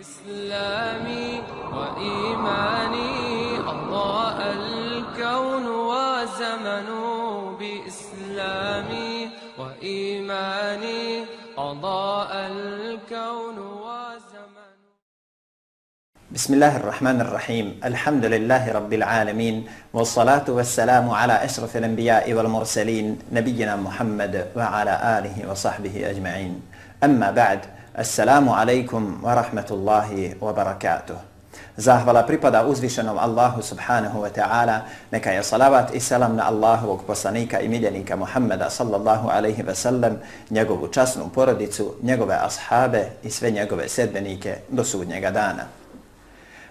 إسلامي وإيماني أضاء الكون وزمن بإسلامي وإيماني أضاء الكون وزمن. بسم الله الرحمن الرحيم. الحمد لله رب العالمين، والصلاة والسلام على أشرف الأنبياء والمرسلين نبينا محمد وعلى آله وصحبه أجمعين. أما بعد، assalamu alaikum wa rahmatullahi wa barakatuh. Zahvala pripada uzvišenom Allahu subhanahu wa ta'ala, neka je salavat i salam na Allahovog poslanika i miljenika Muhammeda sallallahu alaihi wa sallam, njegovu časnu porodicu, njegove ashabe i sve njegove sedbenike do sudnjega dana.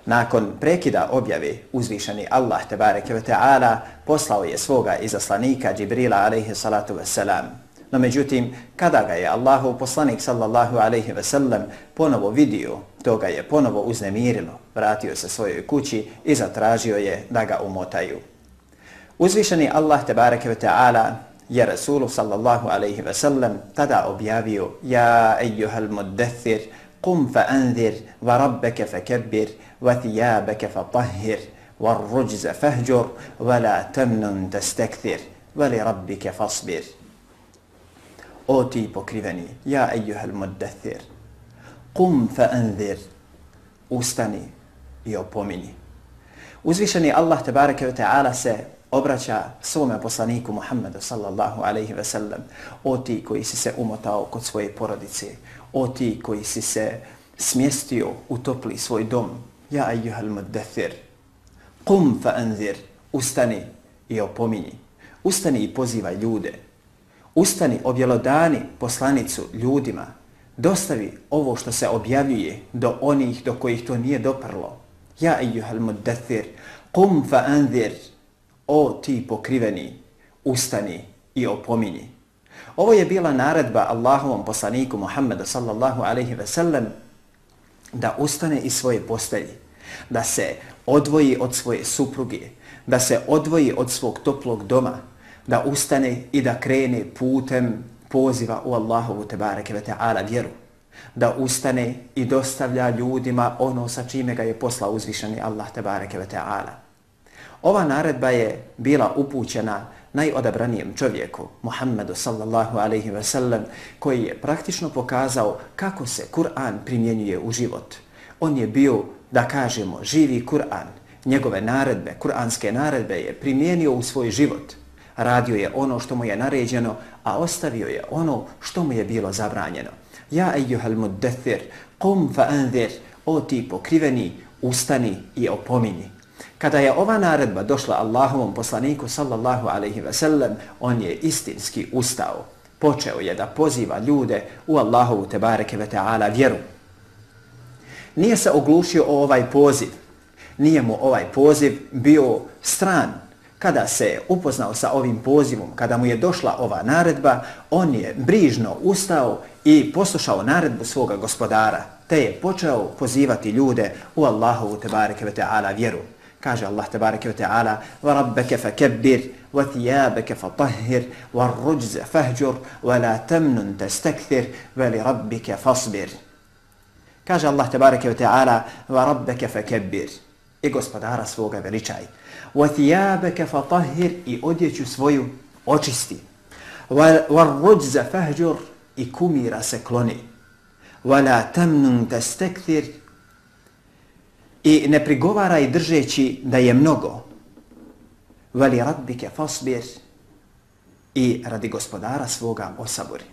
Nakon prekida objave uzvišeni Allah tebareke ve ta'ala poslao je svoga izaslanika Džibrila alaihi salatu wassalam. No međutim, kada ga je Allahov poslanik sallallahu alaihi ve sellem ponovo vidio, to ga je ponovo uznemirilo, vratio se svojoj kući i zatražio je da ga umotaju. Uzvišeni Allah tebareke ve ta'ala je Rasulu sallallahu alaihi ve sellem tada objavio: Ja ejuhal muddathir, qum fa anzir, wa rabbeke fa kebbir, wa thijabeke fa tahhir, wa rujza fahjur, wa la temnun testekthir, wa li rabbike fasbir. O ti pokriveni, ja ejuhal muddathir, qum fa anzir, ustani i opomini. Uzvišeni Allah tebareke ve ta'ala se obraća svome poslaniku Muhammedu sallallahu alaihi ve sellem: O ti koji si se umotao kod svoje porodice, o ti koji si se smjestio u topli svoj dom, ja ejuhal muddathir, qum fa anzir, ustani i opomini. Ustani i pozivaj ljude. Ustani, objelodani poslanicu ljudima, dostavi ovo što se objavljuje do onih do kojih to nije doprlo. Ja ejuhal muddathir, qum fa anzir, o ti pokriveni, ustani i opomini. Ovo je bila naredba Allahovom poslaniku Muhammedu sallallahu alaihi ve sellem da ustane iz svoje postelji, da se odvoji od svoje supruge, da se odvoji od svog toplog doma, da ustane i da krene putem poziva u Allahovu tebareke ve ta'ala vjeru, da ustane i dostavlja ljudima ono sa čime ga je poslao uzvišeni Allah tebareke ve ta'ala. Ova naredba je bila upućena najodabranijem čovjeku, Muhammedu sallallahu alaihi ve sellem, koji je praktično pokazao kako se Kur'an primjenjuje u život. On je bio, da kažemo, živi Kur'an. Njegove naredbe, kur'anske naredbe je primijenio u svoj život. Radio je ono što mu je naređeno, a ostavio je ono što mu je bilo zabranjeno. Ja ejuhal muddathir, qum fa anzir, o ti pokriveni, ustani i opomini. Kada je ova naredba došla Allahovom poslaniku sallallahu alaihi ve sellem, on je istinski ustao. Počeo je da poziva ljude u Allahovu tebareke ve ta'ala vjeru. Nije se oglušio o ovaj poziv. Nije mu ovaj poziv bio stran. Kada se upoznao sa ovim pozivom, kada mu je došla ova naredba, on je brižno ustao i poslušao naredbu svoga gospodara, te je počeo pozivati ljude u Allahovu tebareke ve ta'ala vjeru. Kaže Allah tebareke ve ta'ala: Wa rabbeke fa kebbir, wa thijabeke fa tahhir, wa rujza fahjur, wa la temnun testekthir, wa li rabbike fasbir. Kaže Allah tebareke ve ta'ala: Wa rabbeke fa kebbir, i gospodara svoga veličaj. Wa thijabeke fa tahhir, i odjeću svoju očisti. Wa rujza fahjur, i kumira se kloni. Wa la temnun testekthir, i ne prigovaraj držeći da je mnogo. Vali rabbike fasbir, i radi gospodara svoga osaburi.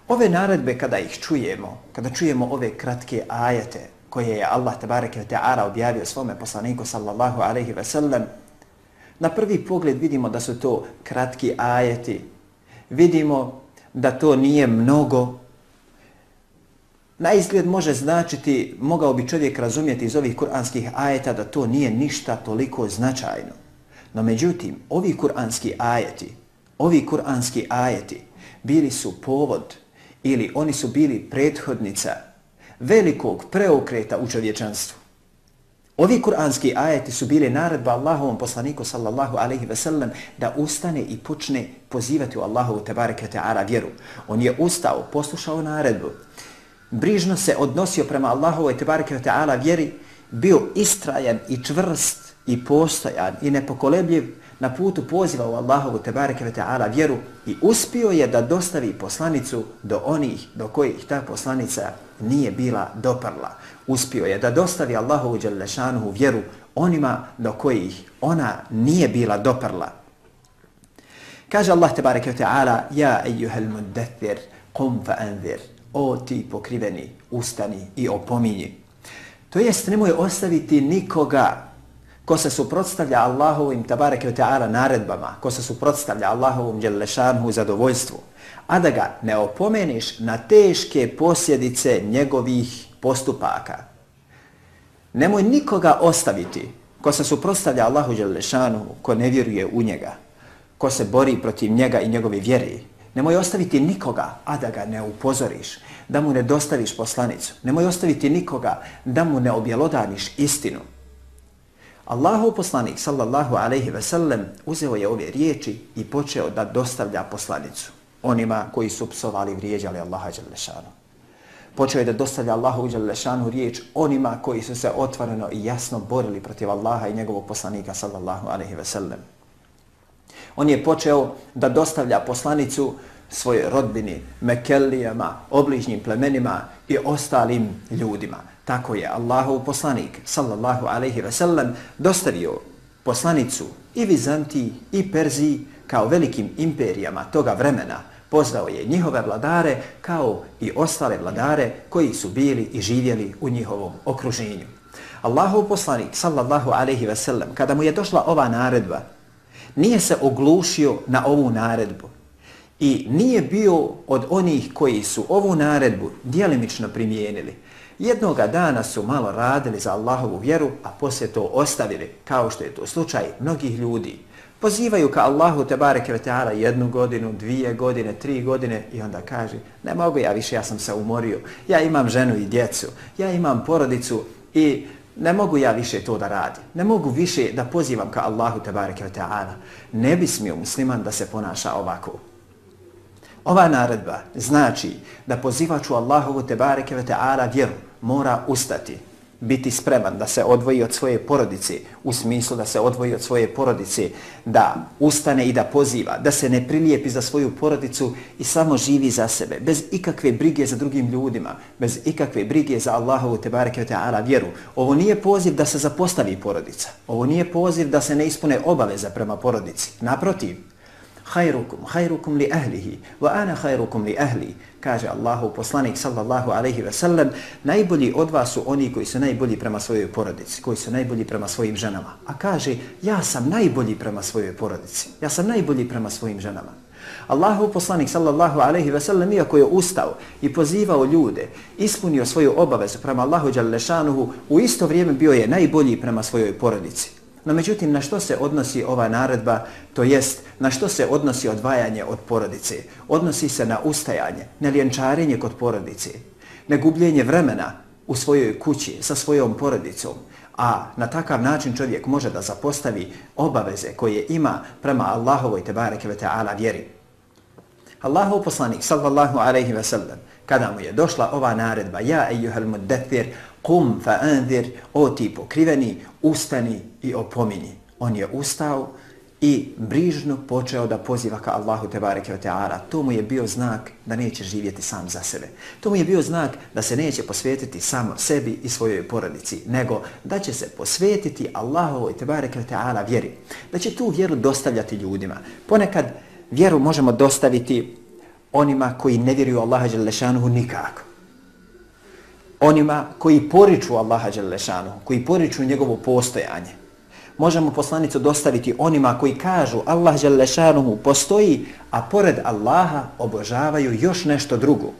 Ove naredbe kada ih čujemo, kada čujemo ove kratke ajete koje je Allah tebareke ve ta'ala objavio svome poslaniku sallallahu alaihi ve sellem, na prvi pogled vidimo da su to kratki ajeti. Vidimo da to nije mnogo. Na izgled može značiti, mogao bi čovjek razumjeti iz ovih kuranskih ajeta da to nije ništa toliko značajno. No međutim, ovi kuranski ajeti bili su povod ili oni su bili prethodnica velikog preokreta u čovječanstvu. Ovi kuranski ajeti su bili naredba Allahovom poslaniku sallallahu alaihi ve sellem da ustane i počne pozivati u Allahovu tebareke ta'ala vjeru. On je ustao, poslušao naredbu brižno se odnosio prema Allahovoj tebareke ve ta'ala vjeri, bio istrajan i čvrst i postojan i nepokolebljiv na putu poziva u Allahovu tebareke ve ta'ala vjeru i uspio je da dostavi poslanicu do onih do kojih ta poslanica nije bila doprla. Uspio je da dostavi Allahovu dželle šanuhu vjeru onima do kojih ona nije bila doprla. Kaže Allah tebareke ve ta'ala: Ja ejuhel muddathir, qum fa anzir. O ti pokriveni, ustani i opominji. To jest, nemoj ostaviti nikoga ko se suprotstavlja Allahovim tabareke ve ta'ala naredbama, ko se suprotstavlja Allahovom dželle šanuhu zadovoljstvu, a da ga ne opomeniš na teške posljedice njegovih postupaka. Nemoj nikoga ostaviti ko se suprotstavlja Allahu dželle šanuhu, ko ne vjeruje u njega, ko se bori protiv njega i njegove vjere. Nemoj ostaviti nikoga, a da ga ne upozoriš, da mu ne dostaviš poslanicu. Nemoj ostaviti nikoga, da mu ne objelodaniš istinu. Allahov poslanik sallallahu alejhi ve sellem uzeo je ove riječi i počeo da dostavlja poslanicu onima koji su psovali i vrijeđali Allaha dželle šanuhu. Počeo je da dostavlja Allahu dželle šanuhu riječ onima koji su se otvoreno i jasno borili protiv Allaha i njegovog poslanika sallallahu alejhi ve sellem. On je počeo da dostavlja poslanicu svojoj rodbini, Mekelijama, obližnjim plemenima i ostalim ljudima. Tako je Allahov poslanik sallallahu alejhi ve sellem dostavio poslanicu i Vizantiji i Perziji kao velikim imperijama toga vremena. Pozvao je njihove vladare kao i ostale vladare koji su bili i živjeli u njihovom okruženju. Allahov poslanik sallallahu alejhi ve sellem, kada mu je došla ova naredba, nije se oglušio na ovu naredbu i nije bio od onih koji su ovu naredbu djelimično primijenili. Jednoga dana su malo radili za Allahovu vjeru, a poslije to ostavili, kao što je to slučaj mnogih ljudi. Pozivaju ka Allahu tebareke ve ta'ala 1 godinu, 2 godine, 3 godine i onda kaže: ne mogu ja više, ja sam se umorio, ja imam ženu i djecu, ja imam porodicu i ne mogu ja više to da radim. Ne mogu više da pozivam ka Allahu tebareke ve ta'ala. Ne bi smio musliman da se ponaša ovako. Ova naredba znači da pozivač u Allahovu tebareke ve ta'ala vjeru mora ustati, biti spreman da se odvoji od svoje porodice, u smislu da se odvoji od svoje porodice, da ustane i da poziva, da se ne prilijepi za svoju porodicu i samo živi za sebe, bez ikakve brige za drugim ljudima, bez ikakve brige za Allahovu tebareke ve ta'ala vjeru. Ovo nije poziv da se zapostavi porodica, ovo nije poziv da se ne ispune obaveza prema porodici. Naprotiv, khairukum li ahlihi wa ana khairukum li ahli, kaže Allahov poslanik sallallahu alejhi ve sellem, najbolji od vas su oni koji su najbolji prema svojoj porodici, koji su najbolji prema svojim ženama. A kaže: ja sam najbolji prema svojoj porodici, ja sam najbolji prema svojim ženama. Allahov poslanik sallallahu alejhi ve sellem, iako je ustao i pozivao ljude, ispunio svoju obavezu prema Allahu dželle šanuhu, u isto vrijeme bio je najbolji prema svojoj porodici. No međutim, na što se odnosi ova naredba, to jest na što se odnosi odvajanje od porodice? Odnosi se na ustajanje, na ljenčarenje kod porodice, na gubljenje vremena u svojoj kući sa svojom porodicom, a na takav način čovjek može da zapostavi obaveze koje ima prema Allahovoj tebareke ve ta'ala vjeri. Allahov poslanik sallallahu alejhi ve sellem, kada mu je došla ova naredba: ja ejuhel muddathir, qum fa anzir, o ti pokriveni, ustani i opominji. On je ustao i brižno počeo da poziva ka Allahu tebareke ve ta'ala. To mu je bio znak da neće živjeti sam za sebe. To mu je bio znak da se neće posvetiti samo sebi i svojoj porodici, nego da će se posvetiti Allahovoj tebareke ve ta'ala vjeri. Da će tu vjeru dostavljati ljudima. Ponekad vjeru možemo dostaviti onima koji ne vjeruju Allaha dželle šanuhu nikako. Onima koji poriču Allaha dželle šanuhu, koji poriču njegovo postojanje. Možemo poslanicu dostaviti onima koji kažu Allah dželle šanuhu postoji, a pored Allaha obožavaju još nešto drugo.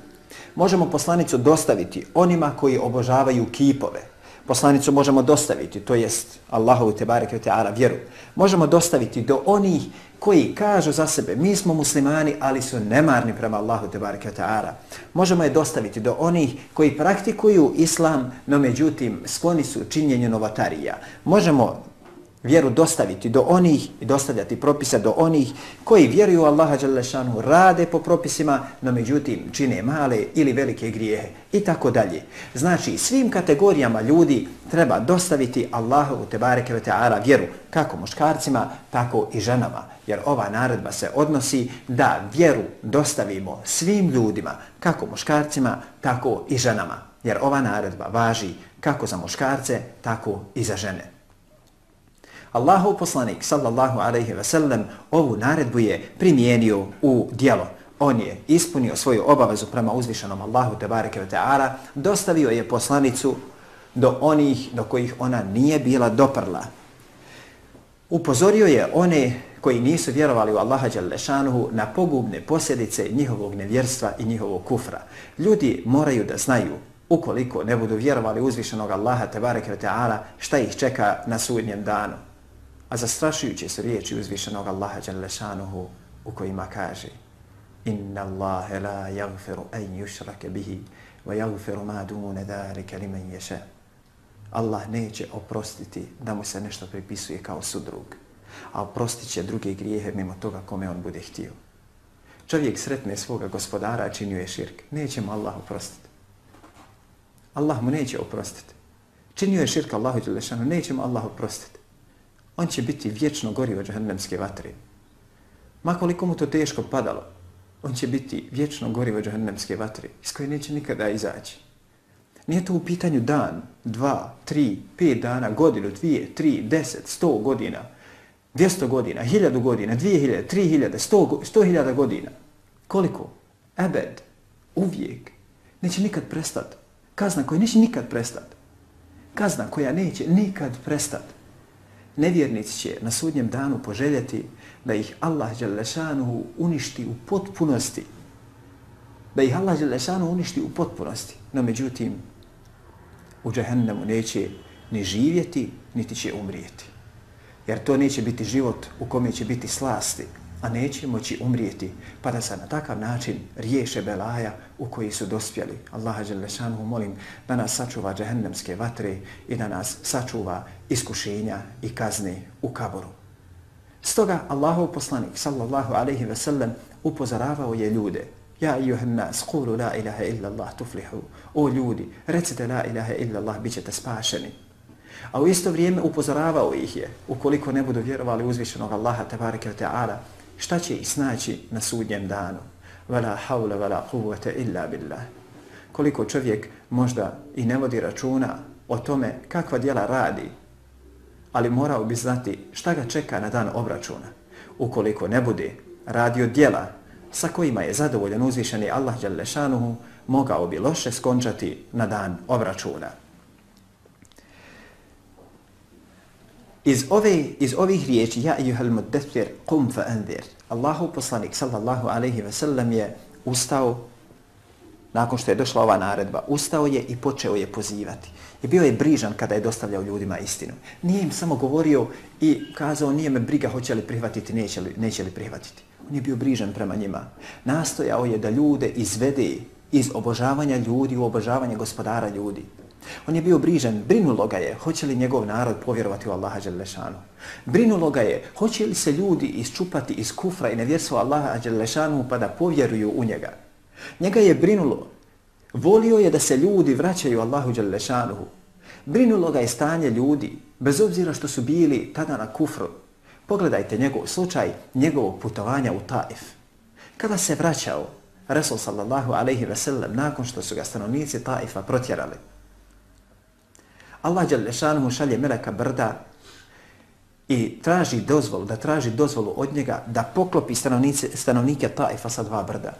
Možemo poslanicu dostaviti onima koji obožavaju kipove. Poslanicu možemo dostaviti, to jest Allahovu tebareke ve ta'ala vjeru. Možemo dostaviti do onih koji kažu za sebe: mi smo muslimani, ali su nemarni prema Allahu tebareke ve ta'ala. Možemo je dostaviti do onih koji praktikuju islam, no međutim skloni su činjenju novotarija. Možemo vjeru dostaviti do onih i dostavljati propise do onih koji vjeruju u Allaha dželle šanuhu, rade po propisima, no međutim čine male ili velike grijehe i tako dalje. Znači svim kategorijama ljudi treba dostaviti Allahu tebareke ve taala vjeru, kako muškarcima, tako i ženama. Jer ova naredba se odnosi da vjeru dostavimo svim ljudima, kako muškarcima, tako i ženama. Jer ova naredba važi kako za muškarce, tako i za žene. Allahov poslanik sallallahu alejhi ve sellem ovu naredbu je primijenio u djelo. On je ispunio svoju obavezu prema uzvišenom Allahu tebareke ve taala, dostavio je poslanicu do onih do kojih ona nije bila doprla. Upozorio je one koji nisu vjerovali u Allaha dželle šanuhu na pogubne posljedice njihovog nevjerstva i njihovog kufra. Ljudi moraju da znaju, ukoliko ne budu vjerovali uzvišenog Allaha tebareke ve taala, šta ih čeka na sudnjem danu. A zastrašujuće su riječi uzvišenog Allaha dželle šanuhu u kojima kaže: Inna Allahe la yaghfiru an yushraka bihi wa yaghfiru ma dune zalika liman yasha. Allah neće oprostiti da mu se nešto pripisuje kao sudrug, a oprostit će druge grijehe mimo toga kome on bude htio. Čovjek sretne svoga gospodara, činio je širk, neće mu Allah oprostiti. Allah mu neće oprostiti. Činio je širk Allahu dželle šanuhu, neće mu Allah oprostiti. On će biti vječno gorivo džehennemske vatre. Ma koliko mu to teško padalo, on će biti vječno gorivo džehennemske vatre, iz koje neće nikada izaći. Nije to u pitanju dan, 2, 3, 5 dana, godinu, 2, 3, 10, 100 godina, 200 godina, 1000 godina, 2000, 3000, 100.000 godina. Koliko? Ebed, uvijek. Neće nikad prestati. Kazna koja neće nikad prestati. Kazna koja neće nikad prestati. Nevjernici će na sudnjem danu poželjeti da ih Allah dželle šanuhu uništi u potpunosti. Da ih Allah dželle šanuhu uništi u potpunosti. No međutim, u džehennemu neće ni živjeti, niti će umrijeti. Jer to neće biti život u kome će biti slasti, a neće moći umrijeti, pa da se na takav način riješe belaja u koji su dospjeli. Allaha dželle šanuhu molim da nas sačuva džehennemske vatre i da nas sačuva iskušenja i kazne u kaboru. Stoga Allahov poslanik sallallahu alejhi ve sellem upozoravao je ljude: Ja ejuhan nas, qulu la ilaha illa Allah tuflihu. O ljudi, recite la ilaha illa Allah, bit ćete spašeni. A u isto vrijeme upozoravao ih je, ukoliko ne budu vjerovali uzvišenog Allaha tebareke ve taala, šta će ih snaći na sudnjem danu. Wala hawla wala quwwata illa billah. Koliko čovjek možda i ne vodi računa o tome kakva djela radi, ali morao bi znati šta ga čeka na dan obračuna. Ukoliko ne bude radio djela sa kojima je zadovoljan uzvišeni Allah dželle šanuhu, mogao bi loše skončati na dan obračuna. Iz ovih riječi ja ejuhel muddethir qum fa anzir. Allahu poslanik sallallahu alejhi ve sellem je ustao nakon što je došla ova naredba. Ustao je i počeo je pozivati. I bio je brižan kada je dostavljao ljudima istinu. Nije im samo govorio i kazao nije me briga hoće li prihvatiti, neće li prihvatiti. On je bio brižan prema njima. Nastojao je da ljude izvede iz obožavanja ljudi u obožavanje gospodara ljudi. On je bio brižan, brinulo ga je hoće li njegov narod povjerovati u Allaha dželle šanuhu. Brinulo ga je hoće li se ljudi isčupati iz kufra i nevjerstva Allaha dželle šanuhu pa da povjeruju u njega. Njega je brinulo. Volio je da se ljudi vraćaju Allahu dželle šanuhu. Brinulo ga je stanje ljudi, bez obzira što su bili tada na kufru. Pogledajte njegov slučaj, njegovog putovanja u Taif. Kada se vraćao Resul sallallahu alejhi ve sellem nakon što su ga stanovnici Taifa protjerali, Allah dželle šanuhu šalje meleka brda i traži dozvolu od njega da poklopi stanovnike Taifa sa 2 brda.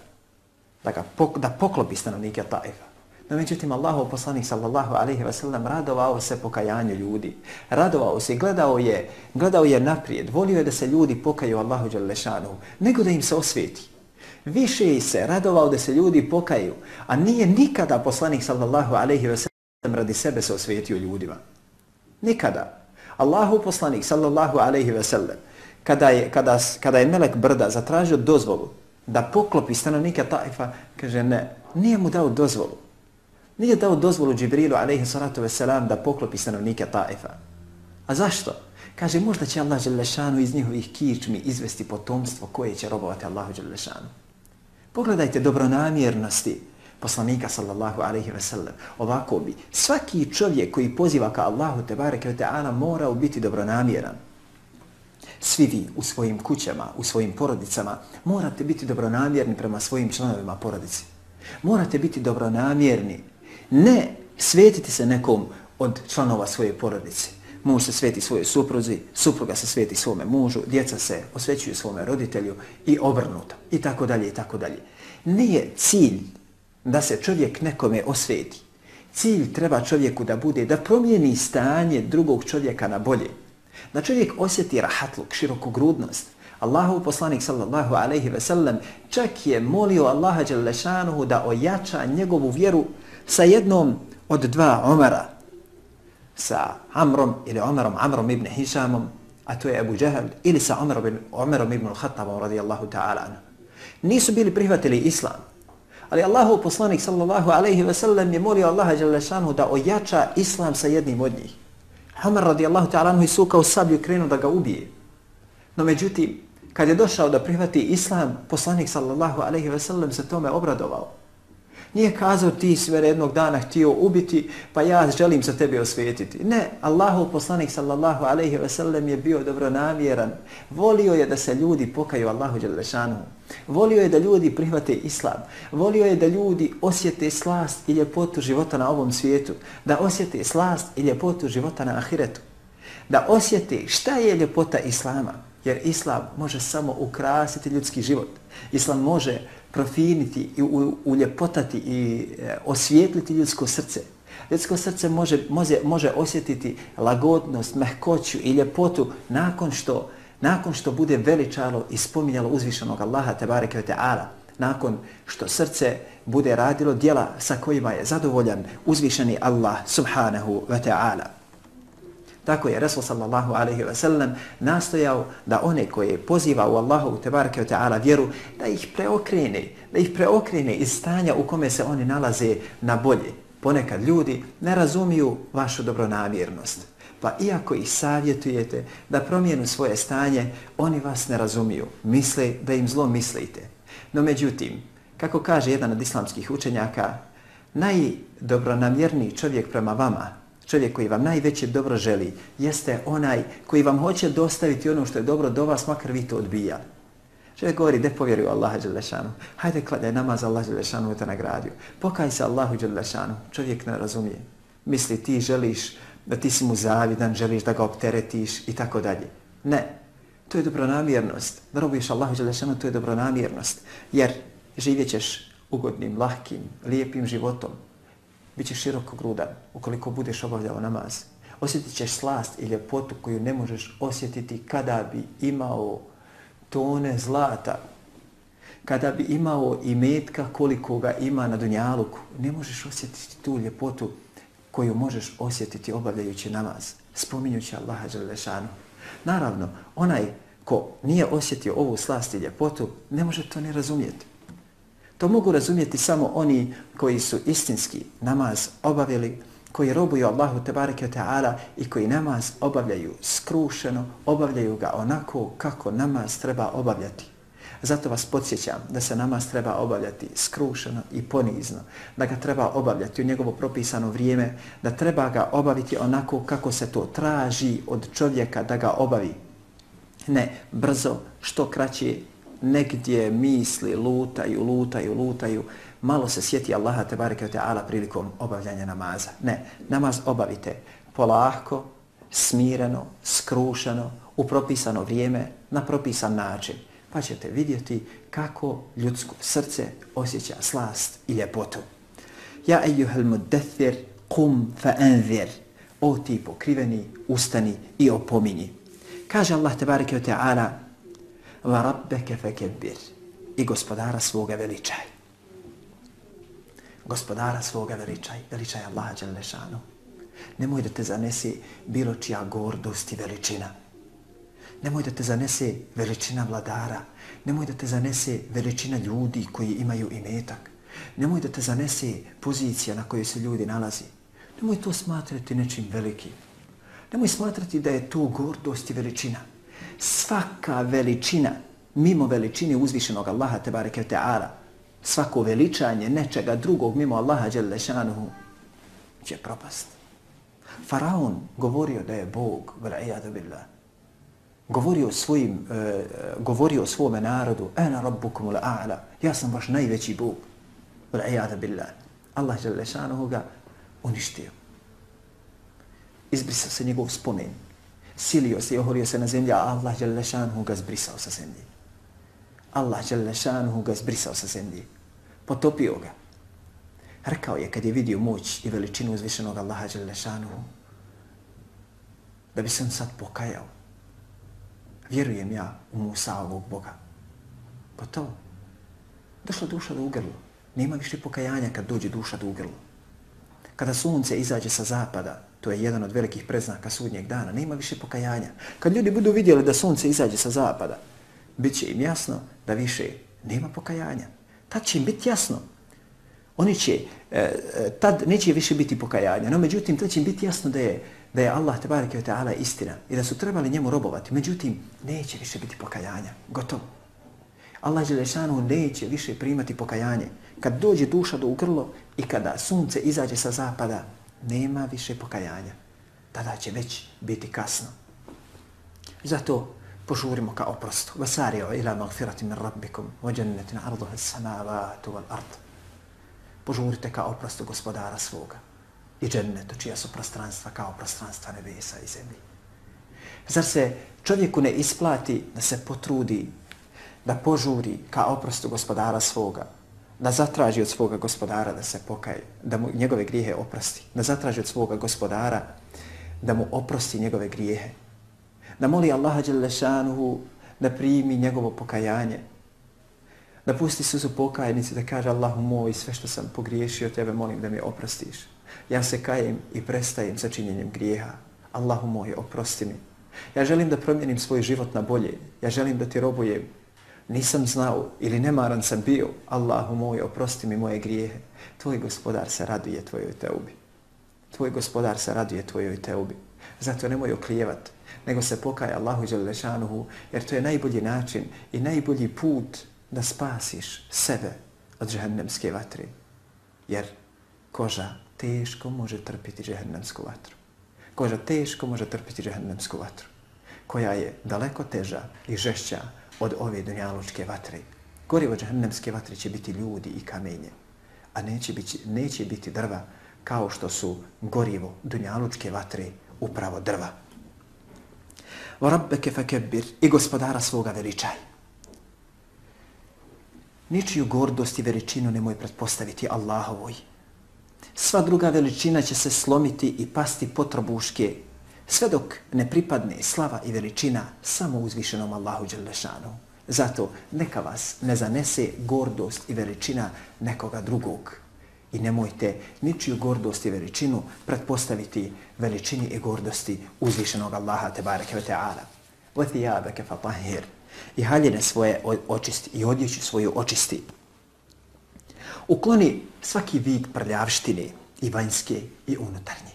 Da poklopi stanovnike Taifa. No međutim, Allahov poslanik sallallahu alejhi ve sellem radovao se pokajanju ljudi. Radovao se i gledao je naprijed. Volio je da se ljudi pokaju Allahu dželle šanuhu, nego da im se osveti. Više se radovao da se ljudi pokaju, a nije nikada poslanik sallallahu alejhi ve sellem radi sebe se osvetio ljudima. Nikada. Allahov poslanik sallallahu alejhi ve sellem kada je melek brda zatražio dozvolu da poklopi stanovnike Taifa, kaže ne, nije mu dao dozvolu. Nije dao dozvolu Džibrilu alejhi salatu vesselam da poklopi stanovnike Taifa. A zašto? Kaže, možda će Allah dželešanu iz njihovih kičmi izvesti potomstvo koje će robovati Allahu dželešanu. Pogledajte dobronamjernosti poslanika sallallahu alejhi ve sellem. Ovako bi svaki čovjek koji poziva ka Allahu tebareke ve taala mora biti dobronamjeran. Svi vi u svojim kućama, u svojim porodicama morate biti dobronamjerni prema svojim članovima porodice. Morate biti dobronamjerni. Ne svetiti se nekom od članova svoje porodice. Muž se sveti svojoj supruzi, supruga se sveti svome mužu, djeca se osvećuju svome roditelju i obrnuto. I tako dalje, i tako dalje. Nije cilj da se čovjek nekome osveti. Cilj treba čovjeku da bude da promijeni stanje drugog čovjeka na bolje. Da čovjek osjeti rahatluk, širokogrudnost. Allahov poslanik sallallahu alejhi ve sellem čak je molio Allaha dželle šanuhu da ojača njegovu vjeru sa jednom od dva Omara, sa Amrom ibn Hišamom, a to je Abu Džehl, ili sa Omerom ibn al-Khattabom radijallahu ta'ala anhu. Nisu bili prihvatili islam, ali Allahov poslanik sallallahu alejhi ve sellem je molio Allaha dželle šanuhu da ojača islam sa jednim od njih. Omer radijallahu ta'ala anhu isukao sablju i krenuo da ga ubije. No međutim, kad je došao da prihvati islam, poslanik sallallahu alejhi ve sellem se tome obradovao. Nije kazao ti si me jednog dana htio ubiti, pa ja želim se tebe osvetiti. Ne, Allahov poslanik sallallahu alejhi ve sellem je bio dobronamjeran. Volio je da se ljudi pokaju Allahu dželle šanuhu. Volio je da ljudi prihvate islam. Volio je da ljudi osjete slast i ljepotu života na ovom svijetu. Da osjete slast i ljepotu života na ahiretu. Da osjete šta je ljepota islama. Jer islam može samo ukrasiti ljudski život. Islam može profiniti i uljepotati i osvijetliti ljudsko srce. Ljudsko srce može osjetiti lagodnost, mehkoću i ljepotu nakon što bude veličalo i spominjalo uzvišenog Allaha tebareke ve taala. Nakon što srce bude radilo djela sa kojima je zadovoljan uzvišeni Allah subhanahu wa ta'ala. Tako je Resul sallallahu alejhi ve sellem nastojao da one koje poziva u Allahu tebareke ve taala vjeru da ih preokrene iz stanja u kome se oni nalaze na bolje. Ponekad ljudi ne razumiju vašu dobronamjernost, pa iako ih savjetujete da promijenu svoje stanje, oni vas ne razumiju, misle da im zlo mislite. No međutim, kako kaže jedan od islamskih učenjaka, najdobronamjerniji čovjek prema vama, čovjek koji vam najveće dobro želi, jeste onaj koji vam hoće dostaviti ono što je dobro do vas, makar vi to odbijali. Čovjek govori, de povjeruj Allaha dželle šanuhu. Hajde kladaj namaz, Allah dželle šanuhu te nagradio. Pokaj se Allahu dželle šanuhu. Čovjek ne razumije. Misli ti želiš da ti si mu zavidan, želiš da ga opteretiš i tako dalje. Ne. To je dobronamjernost. Da robuješ Allahu dželle šanuhu, to je dobronamjernost. Jer živjet ćeš ugodnim, lahkim, lijepim životom. Bićeš širokogrudan ukoliko budeš obavljao namaz. Osjetit ćeš slast i ljepotu koju ne možeš osjetiti kada bi imao tone zlata, kada bi imao imetka koliko ga ima na dunjaluku. Ne možeš osjetiti tu ljepotu koju možeš osjetiti obavljajući namaz, spominjući Allaha dželle šanuhu. Naravno, onaj ko nije osjetio ovu slast i ljepotu, ne može to ni razumjeti. To mogu razumjeti samo oni koji su istinski namaz obavili, koji robuju Allahu tebareke ve taala i koji namaz obavljaju skrušeno, obavljaju ga onako kako namaz treba obavljati. Zato vas podsjećam da se namaz treba obavljati skrušeno i ponizno, da ga treba obavljati u njegovo propisano vrijeme, da treba ga obaviti onako kako se to traži od čovjeka da ga obavi. Ne brzo, što kraće, negdje misli lutaju, malo se sjeti Allaha tebareke ve taala prilikom obavljanja namaza. Ne, namaz obavite polako, smireno, skrušeno, u propisano vrijeme, na propisan način. Pa ćete vidjeti kako ljudsko srce osjeća slast i ljepotu. Ja ejuhel mudaththir, qum fa anzir. O ti pokriveni, ustani i opominji. Kaže Allah tebareke ve taala: wa rabbeke fekebbir, i gospodara svoga veličaj. Gospodara svoga veličaj Allaha dželle šanuhu. Nemoj da te zanese bilo čija gordost i veličina. Nemoj da te zanese veličina vladara. Nemoj da te zanese veličina ljudi koji imaju imetak. Nemoj da te zanese pozicija na kojoj se ljudi nalazi. Nemoj to smatrati nečim velikim. Nemoj smatrati da je to gordost i veličina. Svaka veličina, mimo veličine uzvišenog Allaha tebareke ve ta'ala, svako veličanje nečega drugog mimo Allaha dželle šanuhu će propast. Faraon govorio da je Bog, vel'ijadu billah. Govorio svome narodu, ana rabbukumul a'la, ja sam vaš najveći Bog, vel'ijadu billah. Allah dželle šanuhu ga uništio. Izbrisao se njegov spomen. Silio se i ohorio se na zemlji, a Allah dželle šanuhu ga zbrisao sa zemlji. Allah dželle šanuhu ga zbrisao sa zemlji. Potopio ga. Rekao je kad je vidio moć i veličinu uzvišenog Allaha dželle šanuhu, da bi se on sad pokajao. Vjerujem ja u Musaovog Boga. Gotovo. Došla duša do ugrla. Nema više pokajanja kad dođe duša do ugrla. Kada sunce izađe sa zapada, to je jedan od velikih preznaka sudnjeg dana, nema više pokajanja. Kad ljudi budu vidjeli da sunce izađe sa zapada, bit će im jasno da više nema pokajanja. Tad će im biti jasno. Oni će, tad neće više biti pokajanja, no međutim tad će im biti jasno da je Allah tebareke ve ta'ala istina i da su trebali njemu robovati. Međutim, neće više biti pokajanja. Gotovo. Allah dželle šanuhu neće više primati pokajanje. Kad dođe duša do ugrlo i kada sunce izađe sa zapada, nema više pokajanja. Tada će već biti kasno. Zato požurimo ka oprostu. Vasari'u ila magfiratin min rabbikum wa jannatin 'arduha as-samawati wal ard. Požurite ka oprostu gospodara svoga i džennetu čija su prostranstva kao prostranstva nebesa i zemlji. Zar se čovjeku ne isplati da se potrudi, da požuri ka oprostu gospodara svoga, da zatraži od svoga gospodara da se pokaje, da mu njegove grijehe oprosti, da zatraži od svoga gospodara da mu oprosti njegove grijehe, da moli Allaha dželle šanuhu da primi njegovo pokajanje, da pusti suzu pokajnici, da kaže Allahu moj, sve što sam pogriješio, tebe molim da mi oprostiš. Ja se kajem i prestajem sa činjenjem grijeha. Allahu moj, oprosti mi. Ja želim da promijenim svoj život na bolje. Ja želim da ti robujem. Nisam znao ili nemaran sam bio. Allahu moj, oprosti mi moje grijehe. Tvoj gospodar se raduje tvojoj teubi. Tvoj gospodar se raduje tvojoj teubi. Zato nemoj oklijevat, nego se pokaj Allahu dželle šanuhu, jer to je najbolji način i najbolji put da spasiš sebe od džehennemske vatre. Jer koža teško može trpiti džehennemsku vatru. Koža teško može trpiti džehennemsku vatru, koja je daleko teža i žešća od ove dunjalučke vatre. Gorivo džehennemske vatre će biti ljudi i kamenje, a neće biti drva kao što su gorivo dunjalučke vatre upravo drva. Wa rabbeke fakebbir, i gospodara svoga veličaj. Ničiju gordost i veličinu nemoj pretpostaviti Allahovoj. Sva druga veličina će se slomiti i pasti potrobuške, sve dok ne pripadne slava i veličina samo uzvišenom Allahu dželle šanuhu. Zato neka vas ne zanese gordost i veličina nekoga drugog. I nemojte ničiju gordost i veličinu pretpostaviti veličini i gordosti uzvišenog Allaha tebareke ve ta'ala. Wa thiyabaka fatahhir, i haljine svoje očisti i odjeću svoju očisti. Ukloni svaki vid prljavštine, i vanjske i unutarnje.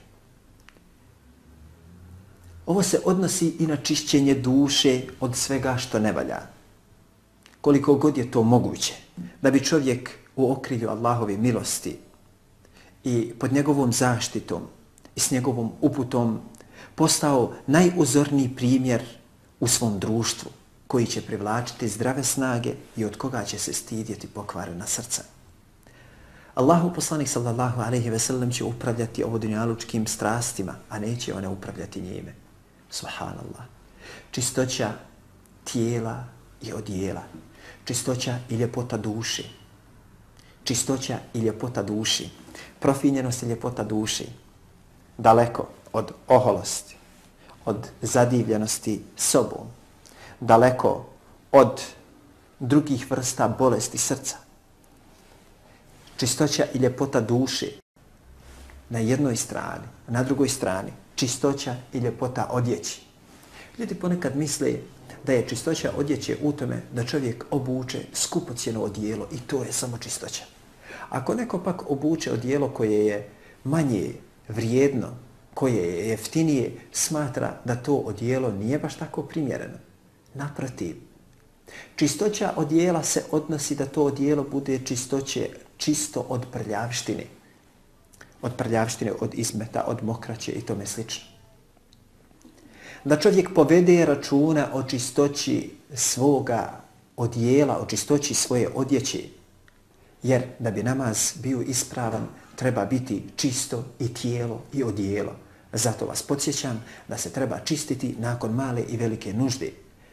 Ovo se odnosi i na čišćenje duše od svega što ne valja. Koliko god je to moguće, da bi čovjek u okrilju Allahove milosti i pod njegovom zaštitom i s njegovom uputom postao najuzorniji primjer u svom društvu, koji će privlačiti zdrave snage i od koga će se stidjeti pokvarena srca. Allahu poslanik sallallahu alejhi ve sellem će upravljati ovodunjalučkim strastima, a neće one upravljati njime. Subhanallah. Čistoća tijela i odijela. Čistoća i ljepota duše. Čistoća i ljepota duši. Profinjenost i ljepota duši. Daleko od oholosti, od zadivljenosti sobom. Daleko od drugih vrsta bolesti srca. Čistoća i ljepota duše na jednoj strani, na drugoj strani čistoća i ljepota odjeći. Ljudi ponekad misle da je čistoća odjeće u tome da čovjek obuče skupocjeno odijelo i to je samo čistoća. Ako neko pak obuče odijelo koje je manje vrijedno koje je jeftinije, smatra da to odijelo nije baš tako primjereno. Naprotiv, čistoća odijela se odnosi da to odijelo bude čisto od prljavštine. Od prljavštine, od izmeta, od mokraće i tome slično. Da čovjek povede računa o čistoći svoga odijela, o čistoći svoje odjeće, jer da bi namaz bio ispravan, treba biti čisto i tijelo i odijelo. Zato vas podsjećam da se treba čistiti nakon male i velike nužde,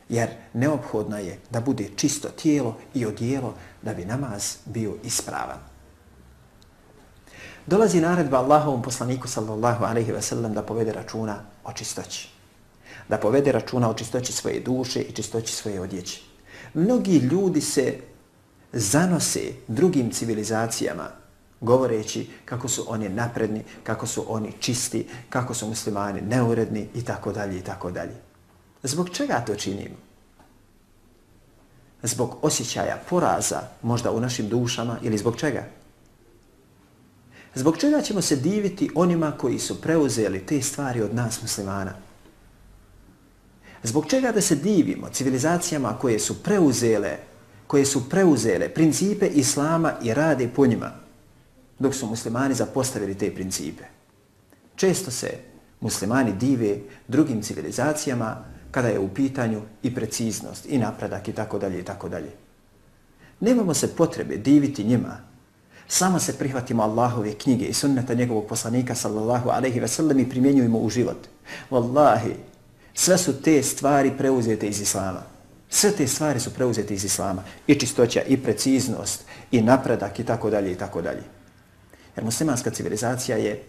jer neophodno je da bude čisto tijelo i odijelo da bi namaz bio ispravan. Dolazi naredba Allahovom poslaniku sallallahu alejhi ve sellem da povede računa o čistoći. Da povede računa o čistoći svoje duše i čistoći svoje odjeće. Mnogi ljudi se zanose drugim civilizacijama govoreći kako su oni napredni, kako su oni čisti, kako su muslimani neuredni i tako dalje i tako dalje. Zbog čega to činimo? Zbog osjećaja poraza možda u našim dušama ili zbog čega? Zbog čega ćemo se diviti onima koji su preuzeli te stvari od nas muslimana? Zbog čega da se divimo civilizacijama koje su preuzele principe islama i rade po njima, dok su muslimani zapostavili te principe? Često se muslimani dive drugim civilizacijama kada je u pitanju i preciznost i napredak i tako dalje i tako dalje. Nemamo se potrebe diviti njima. Samo se prihvatimo Allahove knjige i sunneta njegovog poslanika sallallahu alejhi ve sellem i primjenjujemo u život. Wallahi, sve su te stvari preuzete iz islama. Sve te stvari su preuzete iz islama. I čistoća, i preciznost, i napredak, i tako dalje, i tako dalje. Jer muslimanska civilizacija je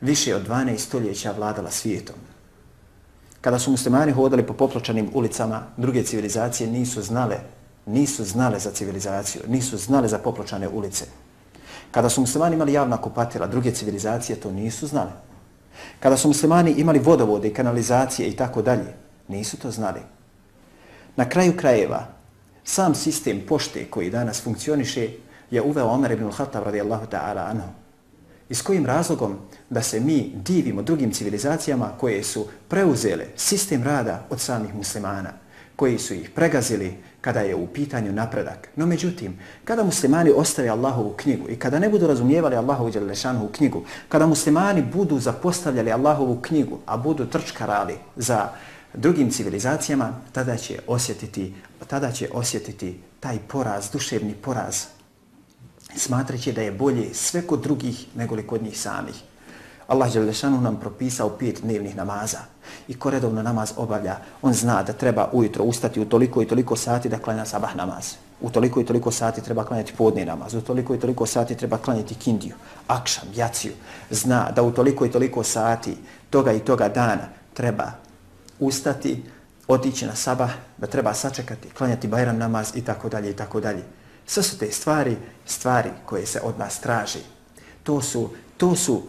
više od 12 stoljeća vladala svijetom. Kada su muslimani hodali po popločanim ulicama, druge civilizacije nisu znale za civilizaciju, nisu znale za popločane ulice. Kada su muslimani imali javna kupatila, druge civilizacije to nisu znale. Kada su muslimani imali vodovode i kanalizacije i tako dalje, nisu to znali. Na kraju krajeva, sam sistem pošte koji danas funkcioniše je uveo Omer ibn al-Khattab radijallahu ta'ala anhu. I s kojim razlogom da se mi divimo drugim civilizacijama koje su preuzele sistem rada od samih muslimana, koji su ih pregazili kada je u pitanju napredak. No međutim, kada muslimani ostave Allahovu knjigu i kada ne budu razumijevali Allahovu dželešanu knjigu, kada muslimani budu zapostavljali Allahovu knjigu, a budu trčkarali za drugim civilizacijama, tada će osjetiti taj poraz, duševni poraz, smatrajući da je bolje sve kod drugih nego li kod njih samih. Allah dželešanu nam propisao 5 dnevnih namaza i ko redovno namaz obavlja, on zna da treba ujutro ustati u toliko i toliko sati da klanja sabah namaz. U toliko i toliko sati treba klanjati podni namaz, u toliko i toliko sati treba klanjati kindiju, akšam, jaciju. Zna da u toliko i toliko sati toga i toga dana treba ustati, otići na sabah, da treba sačekati, klanjati bajram namaz i tako dalje i tako dalje. Sve su te stvari koje se od nas traži.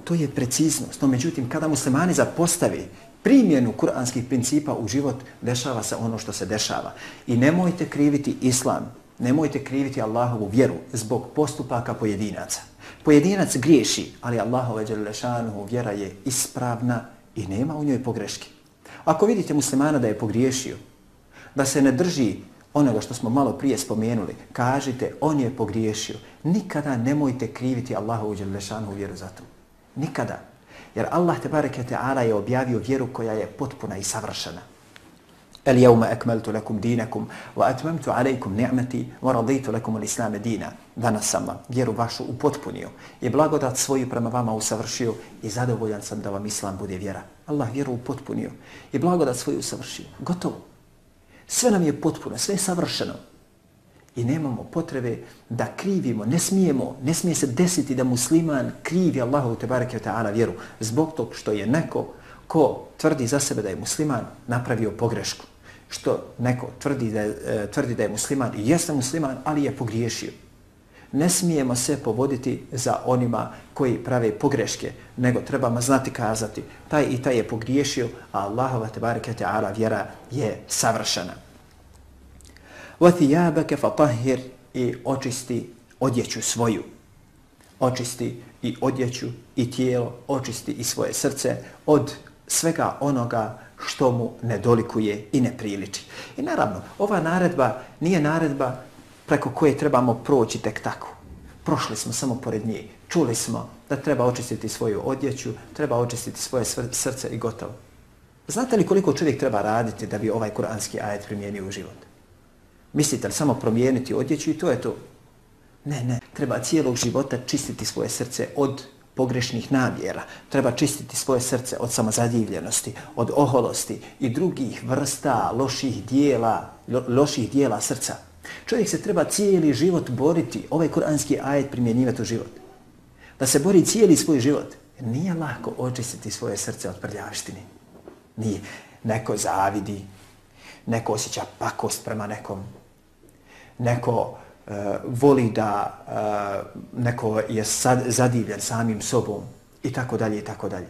To je preciznost. No međutim, kada muslimani zapostavi primjenu kuranskih principa u život, dešava se ono što se dešava. I nemojte kriviti islam, nemojte kriviti Allahovu vjeru zbog postupaka pojedinaca. Pojedinac griješi, ali Allahova dželešanu vjera je ispravna i nema u njoj pogreške. Ako vidite muslimana da je pogriješio, da se ne drži onoga što smo malo prije spomenuli, kažite on je pogriješio. Nikada nemojte kriviti Allahovu dželešanu vjeru za to. Nikada. Jer Allah tebareke ta'ala je objavio vjeru koja je potpuna i savršena. El jevme ekmeltu lakum dinakum wa atmemtu alejkum ni'meti wa raditu lakum al-islame dina. Danas sam vam vjeru vašu upotpunio i blagodat svoju prema vama usavršio i zadovoljan sam da vam islam bude vjera. Allah vjeru upotpunio i blagodat svoju usavršio. Gotovo. Sve nam je potpuno, sve je savršeno. I nemamo potrebe da krivimo, ne smije se desiti da musliman krivi Allahu tebareke ve ta'ala vjeru zbog tog što je neko ko tvrdi za sebe da je musliman napravio pogrešku. Što neko tvrdi da je musliman i jeste musliman, ali je pogriješio. Ne smijemo se povoditi za onima koji prave pogreške, nego trebamo znati kazati taj i taj je pogriješio, a Allahova tebareke ve ta'ala vjera je savršena. وَثِيَابَكَ فَطَهِّرْ i očisti odjeću svoju. očisti i odjeću i tijelo, očisti i svoje srce od svega onoga što mu ne dolikuje i ne priliči. I naravno, ova naredba nije naredba preko koje trebamo proći tek tako. Prošli smo samo pored nje, čuli smo da treba očistiti svoju odjeću, treba očistiti svoje srce i gotovo. Znate li koliko čovjek treba raditi da bi ovaj kuranski ajet primijenio u život? Mislite li samo promijeniti odjeću i to je to? Ne. Treba cijelog života čistiti svoje srce od pogrešnih namjera. Treba čistiti svoje srce od samozadivljenosti, od oholosti i drugih vrsta loših dijela srca. Čovjek se treba cijeli život boriti, ovaj kuranski ajet primjenjivati u život. Da se bori cijeli svoj život. Nije lako očistiti svoje srce od prljavštine. Nije. Neko zavidi, neko osjeća pakost prema nekom, neko voli da neko je zadivljen samim sobom i tako dalje i tako dalje.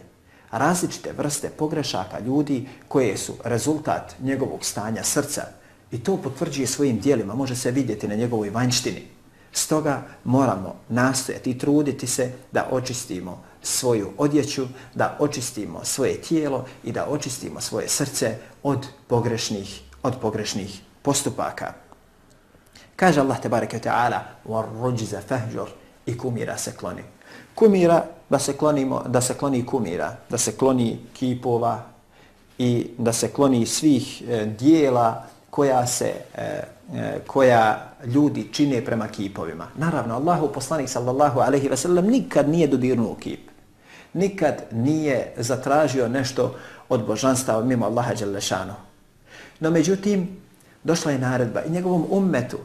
Različite vrste pogrešaka ljudi koje su rezultat njegovog stanja srca i to potvrđuje svojim djelima, može se vidjeti na njegovoj vanjštini. Stoga moramo nastojati i truditi se da očistimo svoju odjeću, da očistimo svoje tijelo i da očistimo svoje srce od pogrešnih postupaka. Kaže Allah tebareke ve taala: "War-rujza fahjur", i kumira se kloni. Kumira, da se kloni kumira, da se kloni kipova i da se kloni svih dijela koja ljudi čine prema kipovima. Naravno, Allahu poslanik sallallahu alejhi ve sellem nikad nije dodirnuo kip. Nikad nije zatražio nešto od božanstava mimo Allaha dželle šanu. No međutim, došla je naredba i njegovom ummetu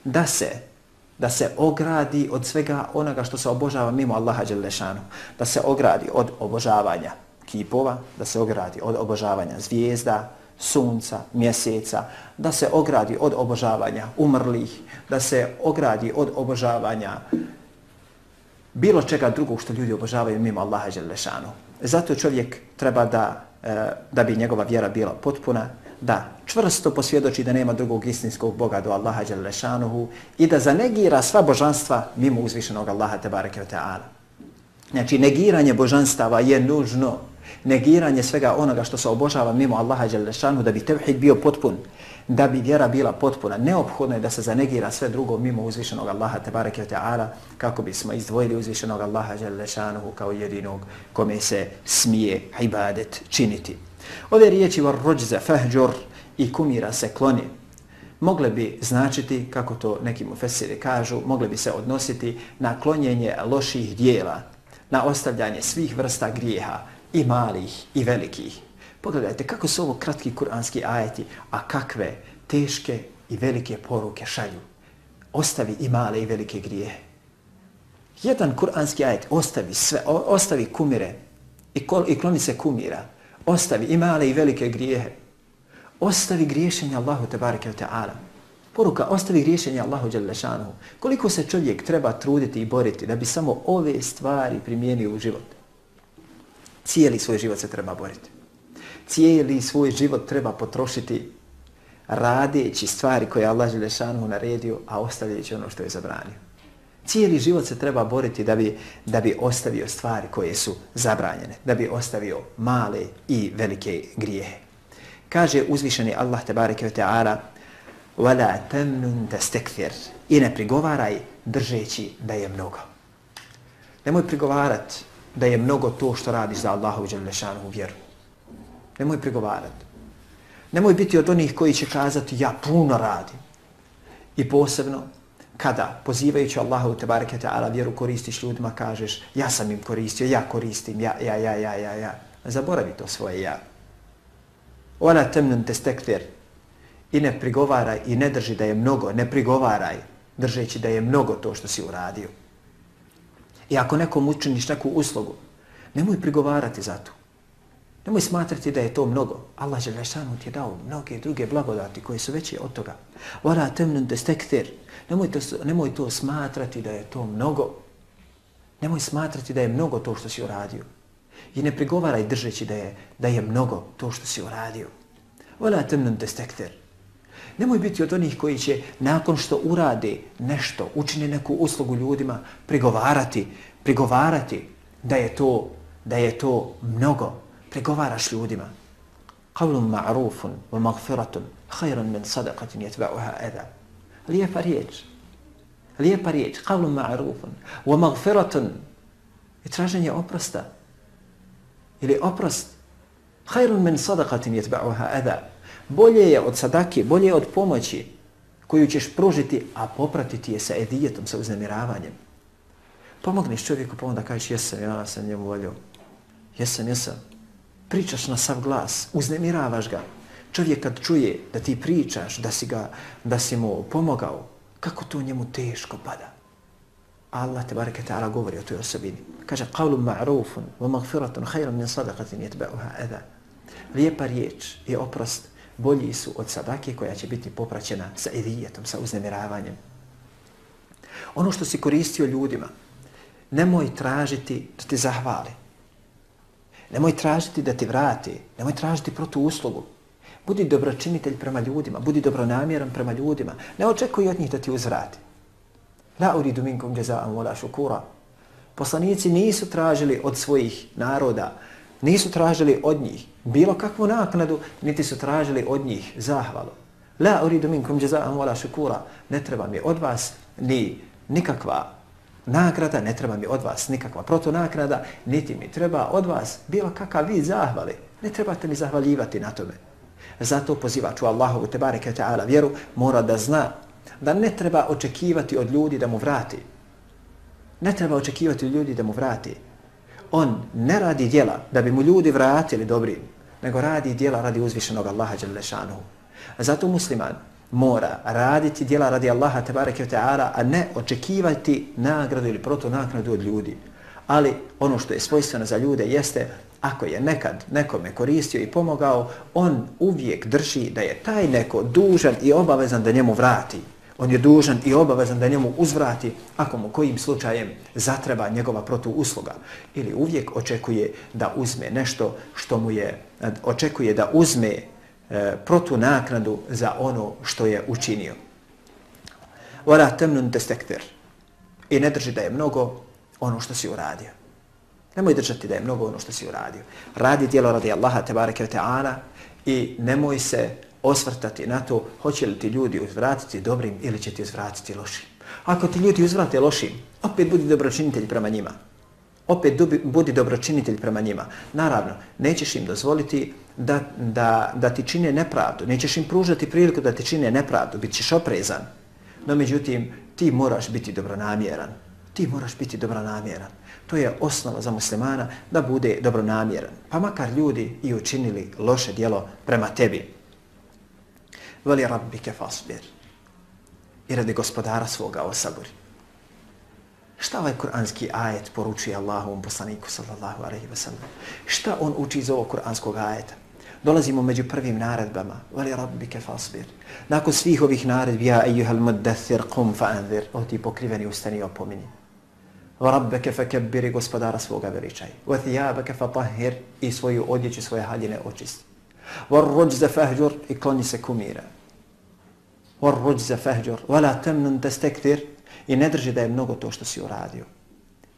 da se ogradi od svega onoga što se obožava mimo Allaha dželle šanu. Da se ogradi od obožavanja kipova, da se ogradi od obožavanja zvijezda, sunca, mjeseca, da se ogradi od obožavanja umrlih, da se ogradi od obožavanja bilo čega drugog što ljudi obožavaju mimo Allaha dželle šanu. Zato čovjek treba da bi njegova vjera bila potpuna, da čvrsto posvjedoči da nema drugog istinskog Boga do Allaha dželle šanuhu i da zanegira sva božanstva mimo uzvišenog Allaha tebareke ve taala. Znači, negiranje božanstava je nužno. Negiranje svega onoga što se obožava mimo Allaha dželle šanuhu da bi tevhid bio potpun, da bi vjera bila potpuna. Neophodno je da se zanegira sve drugo mimo uzvišenog Allaha tebareke ve taala kako bismo izdvojili uzvišenog Allaha dželle šanuhu kao jedinog kome se smije ibadet činiti. Ove riječi "war-rujza fahjur" i kumira se kloni mogle bi značiti, kako to neki mufesiri kažu, mogle bi se odnositi na klonjenje loših dijela, na ostavljanje svih vrsta grijeha, i malih i velikih. Pogledajte kako su ovo kratki kuranski ajeti, a kakve teške i velike poruke šalju. Ostavi i male i velike grijehe. Jedan kuranski ajet ostavi sve, ostavi kumire i kloni se kumira. Ostavi i male i velike grijehe. Ostavi griješenje Allahu tebareke ve taala. Poruka: ostavi griješenje Allahu dželle šanuhu. Koliko se čovjek treba truditi i boriti da bi samo ove stvari primijenio u život. Cijeli svoj život se treba boriti. Cijeli svoj život treba potrošiti radeći stvari koje je Allah dželle šanuhu naredio, a ostavljajući ono što je zabranio. Cijeli život se treba boriti da bi ostavio stvari koje su zabranjene, da bi ostavio male i velike grijehe. Kaže uzvišeni Allah tebareke ve taala: "Wala tamnun tastakthir", i ne prigovaraj držeći da je mnogo. Nemoj prigovarati da je mnogo to što radiš za Allahu dželle šanuhu vjeru. Nemoj prigovarati. Nemoj biti od onih koji će kazati ja puno radim. I posebno kada pozivajući Allahu tebareke ve taala vjeru koristiš ljudima, kažeš ja sam im koristio, ja koristim, ja. Zaboravi to svoje ja. Wala tamnun tastakthir, i ne prigovaraj i ne drži da je mnogo, ne prigovaraj držeći da je mnogo to što si uradio. I ako nekom učiniš neku uslugu, nemoj prigovarati za to. Nemoj smatrati da je to mnogo. Allah dželle šanuhu ti je dao mnoge druge blagodati koje su veće od toga. Wala tamnun tastakthir, nemoj to smatrati da je to mnogo. Nemoj smatrati da je mnogo to što si uradio. I ne prigovaraj držeći da je mnogo to što si uradio. Wala tamnun tastakthir. Nemoj biti od onih koji će nakon što urade nešto, učine neku uslugu ljudima, prigovarati prigovarati da je to mnogo. Prigovaraš ljudima. Qawlun ma'rufun wa maghfiratun khayrun min sadaqatin yatba'uha adha. Lijepa riječ. Qawlun ma'rufun wa maghfiratun i traženje oprosta. Ili oprost. Khayrun min sadaqatin yatba'uha adha. Bolje je od sadake, bolje je od pomoći koju ćeš pružiti, a popratiti je sa edijetom, sa uznemiravanjem. Pomogneš čovjeku pa onda kažeš ja sam njemu volio. Jesam. Pričaš na sav glas, uznemiravaš ga. Čovjek kad čuje da ti pričaš, da si mu pomogao, kako to njemu teško pada. Allah tebareke ta'ala govori o toj osobini. Kaže qawlun ma'rufun wa maghfiratun khayrun min sadaqatin yatba'uha adha. Lijepa riječ i oprost bolji su od sadake koja će biti popraćena sa edijetom, sa uznemiravanjem. Ono što si koristio ljudima, nemoj tražiti da ti zahvali. Nemoj tražiti da ti vrati. Nemoj tražiti protuuslugu. Budi dobročinitelj prema ljudima. Budi dobronamjeran prema ljudima. Ne očekuj od njih da ti uzvrati. La uridu minkum jaza'an wala shukura. Poslanici nisu tražili od svojih naroda, nisu tražili od njih bilo kakvu naknadu, niti su tražili od njih zahvalu. La uridu minkum jaza'an wala shukura. Ne treba mi od vas ni nikakva nagrada, ne treba mi od vas nikakva protunagrada, niti mi treba od vas bilo kakav vid zahvali. Ne trebate mi zahvaljivati na tome. Zato pozivač u Allahovu tebareke ta'ala vjeru mora da zna da ne treba očekivati od ljudi da mu vrati. Ne treba očekivati od ljudi da mu vrati. On ne radi djela da bi mu ljudi vratili dobrim, nego radi djela radi uzvišenog Allaha dželle šanuhu. Zato musliman mora raditi djela radi Allaha tebareke ve ta'ala, a ne očekivati nagradu ili protunagradu od ljudi. Ali ono što je svojstveno za ljude jeste, ako je nekad nekome koristio i pomogao, on uvijek drži da je taj neko dužan i obavezan da njemu vrati. On je dužan i obavezan da njemu uzvrati ako mu kojim slučajem zatreba njegova protuusluga. Ili uvijek očekuje da uzme nešto što mu je, očekuje da uzme protunaknadu za ono što je učinio. Wala tamnun tastakthir. I ne drži da je mnogo ono što si uradio. Nemoj držati da je mnogo ono što si uradio. Radi djelo radi Allaha tebareke ve ta'ala i nemoj se osvrtati na to hoće li ti ljudi uzvratiti dobrim ili će ti uzvratiti lošim. Ako ti ljudi uzvrate lošim, opet budi dobročinitelj prema njima. Budi dobročinitelj prema njima. Naravno, nećeš im dozvoliti da ti čine nepravdu. Nećeš im pružati priliku da ti čine nepravdu. Bit ćeš oprezan. No međutim, ti moraš biti dobronamjeran. To je osnova za muslimana da bude dobronamjeran. Pa makar ljudi i učinili loše djelo prema tebi. Vali rabbike fasbir. I radi gospodara svoga osaburi. Šta ovaj kuranski ajet poručuje Allahovom poslaniku sallallahu alejhi ve sellem? Šta on uči iz ovog kuranskog ajeta? Dolazimo među prvim naredbama. Vali rabbike fasbir. Nakon svih ovih naredbi, ja ejuhal muddathir qum fa anzir. O ti pokriveni ustani i opomini. Va rabbeke fekebbiri, gospodara svoga veličaj. Va thijabeke fatahhir, i svoju odjeću, svoje haljine očisti. Va ruđze fahđur, i kloni se kumira. Va ruđze fahđur, va la temnun tastakthir, i ne drži da je mnogo to što si uradio.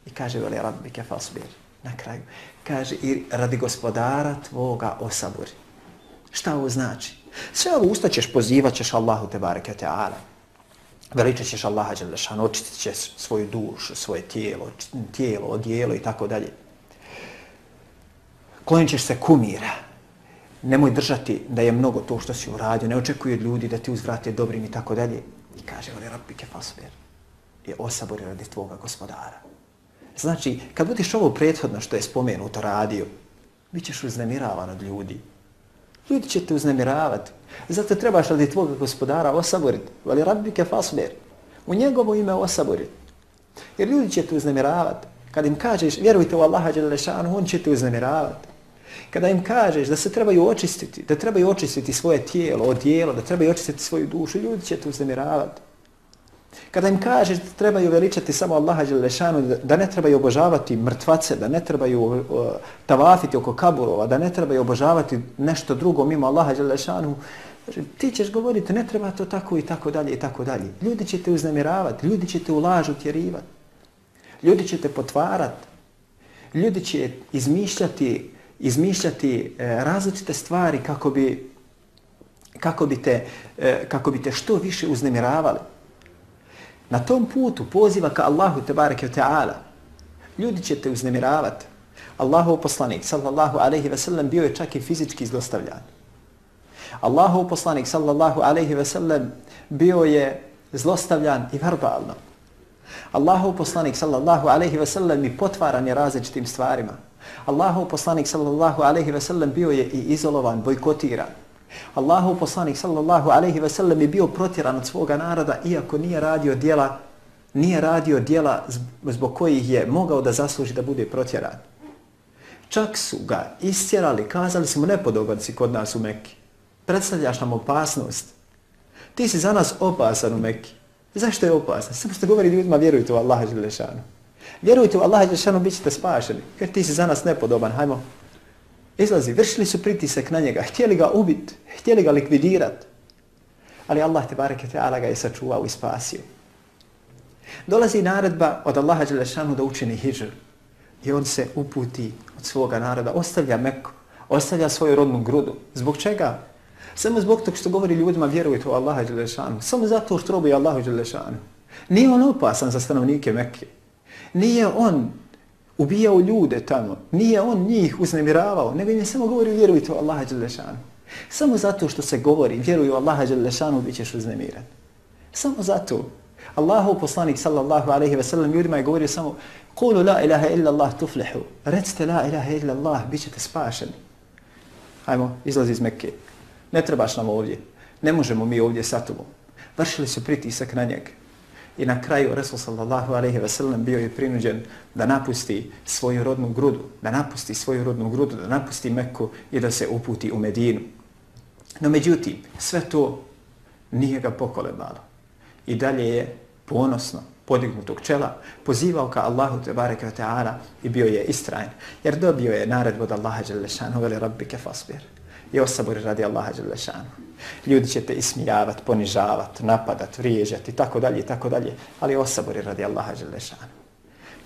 I kaže, veli rabbike fasbir. Na kraju, kaže, i radi gospodara tvoga osaburi. Šta ovo znači? Sve ovo usta ćeš, pozivat ćeš Allahu tebareke ta'ala. Veličat ćeš Allaha dželle šanuhu, očistit ćeš svoju dušu, svoje tijelo, odijelo i tako dalje. Klonit ćeš se kumira. Nemoj držati da je mnogo to što si uradio, ne očekuj od ljudi da ti uzvrate dobrim i tako dalje. I kaže, veli rabbike fasbir. I osabori radi tvoga gospodara. Znači, kad budiš ovo prethodno što je spomenuto radio, bit ćeš uznemiravan od ljudi. Ljudi će te uznemiravati. Zato trebaš radi tvoga gospodara osaboriti. Vali rabbike fasbir. U njegovo ime osaboriti. Jer ljudi će te uznemiravati. Kad im kažeš, vjerujte u Allaha dželle šanuhu, on će te uznemiravati. Kada im kažeš da se trebaju očistiti, da trebaju očistiti svoje tijelo, odijelo, da trebaju očistiti svoju dušu, ljudi će te uznemiravati. Kada im kažeš da trebaju veličati samo Allaha dželle šanuhu, da ne trebaju obožavati mrtvace, da ne trebaju tavafiti oko kaburova, da ne trebaju obožavati nešto drugo mimo Allaha dželle šanuhu, ti ćeš govoriti ne treba to tako i tako dalje i tako dalje. Ljudi će te uznemiravati, ljudi će te u laž utjerivati. Ljudi će te potvarati. Ljudi će izmišljati različite stvari kako bi te što više uznemiravali. Na tom putu poziva ka Allahu tebareke ve ta'ala. Ljudi će te uznemiravati. Allahov poslanik sallallahu alejhi ve sellem bio je čak i fizički zlostavljan. Allahov poslanik sallallahu alejhi ve sellem bio je zlostavljan i verbalno. Allahov poslanik sallallahu alejhi ve sellem i potvaran je različitim stvarima. Allahov poslanik sallallahu alejhi ve sellem bio je i izolovan, bojkotiran. Allahov poslanik sallallahu alejhi ve sellem je bio protjeran od svoga naroda iako nije radio djela zbog kojih je mogao da zasluži da bude protjeran. Čak su ga istjerali, kazali su mu nepodoban si kod nas u Mekki. Predstavljaš nam opasnost. Ti si za nas opasan u Mekki. Zašto je opasan? Samo što govori ljudima vjerujte u Allaha dželle šanu. Vjerujte u Allaha dželle šanu, bit ćete spašeni. Jer ti si za nas nepodoban, hajmo. Izlazi, vršili su pritisak na njega, htjeli ga ubiti, htjeli ga likvidirati. Ali Allah tebareke ta'ala ga je sačuvao i spasio. Dolazi naredba od Allaha dželle šanu da učini hidžr. I on se uputi od svoga naroda, ostavlja Meku, ostavlja svoju rodnu grudu. Zbog čega? Samo zbog toga što govori ljudima vjerujte u Allaha dželle šanu. Samo zato što robuje Allahu dželle šanu. Nije on opasan za stanovnike Mekke. Nije on ubijao ljude tamo. Nije on njih uznemiravao. Nego im je samo govorio vjerujte u Allaha dželle šanu. Samo zato što se govori vjeruju u Allaha dželle šanu bit ćeš uznemiran. Samo zato. Allahov poslanik sallallahu alejhi ve sellem ljudima je govorio samo Kulu la ilaha illa Allah tuflihu. Recite la ilaha illa Allah, bit ćete spašeni. Hajmo, izlazi iz Mekke. Ne trebaš nam ovdje. Ne možemo mi ovdje sa tobom. Vršili su pritisak na njega. I na kraju Resul sallallahu alejhi ve sellem bio je prinuđen da napusti svoju rodnu grudu, da napusti Mekku i da se uputi u Medinu. No međutim, sve to nije ga pokolebalo. I dalje je ponosno podignutog čela pozivao ka Allahu tebareke ve ta'ala i bio je istrajan. Jer dobio je naredbu od Allaha dželle šanu veli rabbike fasbir. I osaburi radi Allaha dželle šanu. Ljudi će te ismijavati, ponižavati, napadati, vrijeđati, tako dalje, ali osaburi radi Allaha dželle šanu.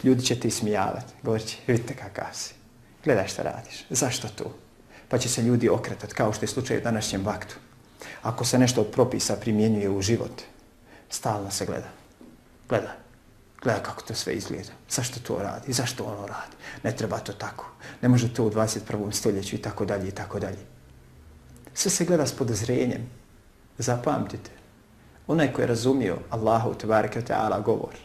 Ljudi će te ismijavati, govorit će, vidite kakav si, gledaj šta radiš, zašto to? Pa će se ljudi okretati, kao što je slučaj u današnjem vaktu. Ako se nešto od propisa primjenjuje u život, stalno se gleda kako to sve izgleda, zašto to radi, zašto ono radi, ne treba to tako, ne može to u 21. stoljeću i tako dalje. Sve se gleda s podozrenjem. Zapamtite, onaj koji je razumio Allahu tebareke ve ta'ala govor,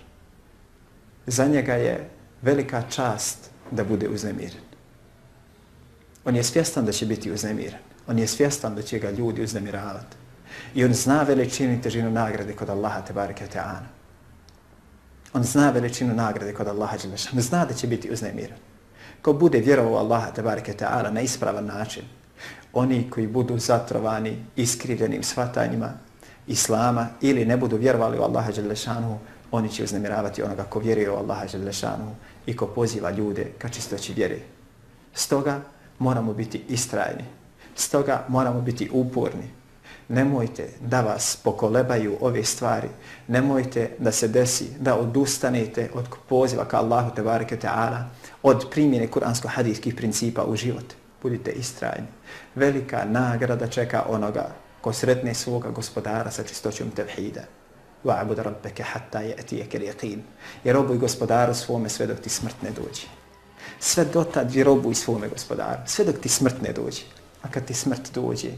za njega je velika čast da bude uznemiren. On je svjestan da će biti uznemiren. On je svjestan da će ga ljudi uznemiravati. I on zna veličinu i težinu nagrade kod Allaha tebareke ve ta'ala. On zna veličinu nagrade kod Allaha dželle šanu. Zna da će biti uznemiren. Ko bude vjerovao Allaha tebareke ve ta'ala na ispravan način, oni koji budu zatrovani iskrivljenim shvatanjima Islama ili ne budu vjerovali u Allaha dželle šanu, oni će uznemiravati onoga ko vjeruje u Allaha dželle šanu i ko poziva ljude ka čistoći vjere. Stoga moramo biti istrajni. Stoga moramo biti uporni. Nemojte da vas pokolebaju ove stvari. Nemojte da se desi da odustanete od poziva ka Allahu tebareke ve ta'ala, od primjene kuransko-hadijskih principa u život. Budite istrajni. Velika nagrada čeka onoga ko sretne svoga gospodara sa čistoćom tevhida. Wa'bud rabbeke hatta ya'tiyaka al-yaqin. I robuj gospodaru svome sve dok ti smrt ne dođe. Sve dotad robuj svome gospodaru, sve dok ti smrt ne dođe. A kad ti smrt dođe,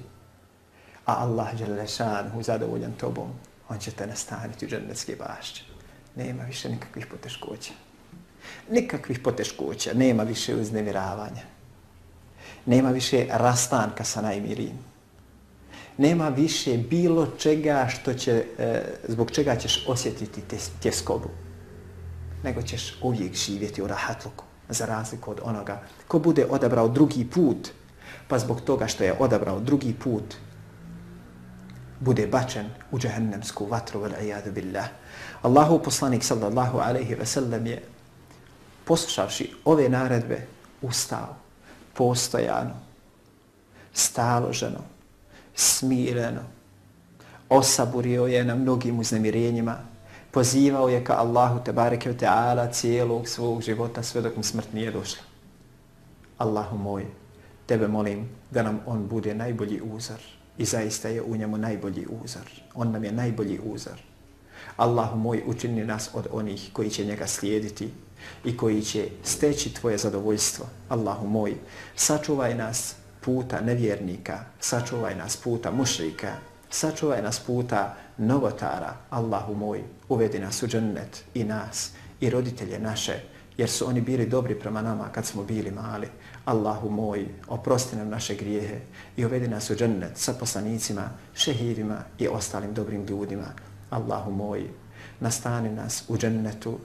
a Allah dželle šanuhu zadovoljan tobom, on će te nastaniti u džennetske bašće. Nema više nikakvih poteškoća. Nema više uznemiravanja. Nema više rastanka sa najmirijim. Nema više bilo čega zbog čega ćeš osjetiti tjeskobu. Nego ćeš uvijek živjeti u rahatluku, za razliku od onoga ko bude odabrao drugi put, pa zbog toga što je odabrao drugi put, bude bačen u džehennemsku vatru, wal-iyadu billah. Allahu poslanik sallallahu alejhi ve sellem je, poslušavši ove naredbe, ustao, postojano, staloženo, smireno, osaburio je na mnogim uznemirenjima, Pozivao je ka Allahu tebareke ve ta'ala cijelog svog života sve dok mu smrt nije došla. Allahu moj, tebe molim da nam on bude najbolji uzor i zaista je u njemu najbolji uzor. On nam je najbolji uzor. Allahu moj, učini nas od onih koji će njega slijediti i koji će steći tvoje zadovoljstvo. Allahu moj, sačuvaj nas puta nevjernika, sačuvaj nas puta mušrika, sačuvaj nas puta novotara. Allahu moj, uvedi nas u džennet i nas i roditelje naše, jer su oni bili dobri prema nama kad smo bili mali. Allahu moj, oprosti nam naše grijehe i uvedi nas u džennet sa poslanicima, šehidima i ostalim dobrim ljudima. Allahu moj, nastani nas u džennetu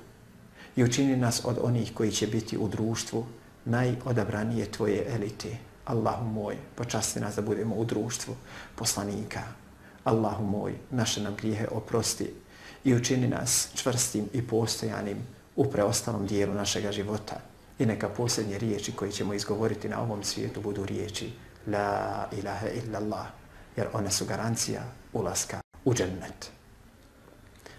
i učini nas od onih koji će biti u društvu najodabranije tvoje elite. Allahu moj, počasti nas da budemo u društvu poslanika. Allahu moj, naše nam grijehe oprosti i učini nas čvrstim i postojanim u preostalom dijelu našega života. I neka posljednje riječi koje ćemo izgovoriti na ovom svijetu budu riječi La ilaha illallah, jer one su garancija ulaska u džennet.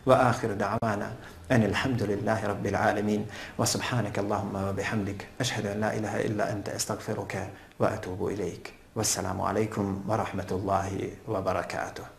وآخر دعوانا أن الحمد لله رب العالمين وسبحانك اللهم وبحمدك أشهد أن لا إله إلا أنت أستغفرك وأتوب إليك والسلام عليكم ورحمة الله وبركاته.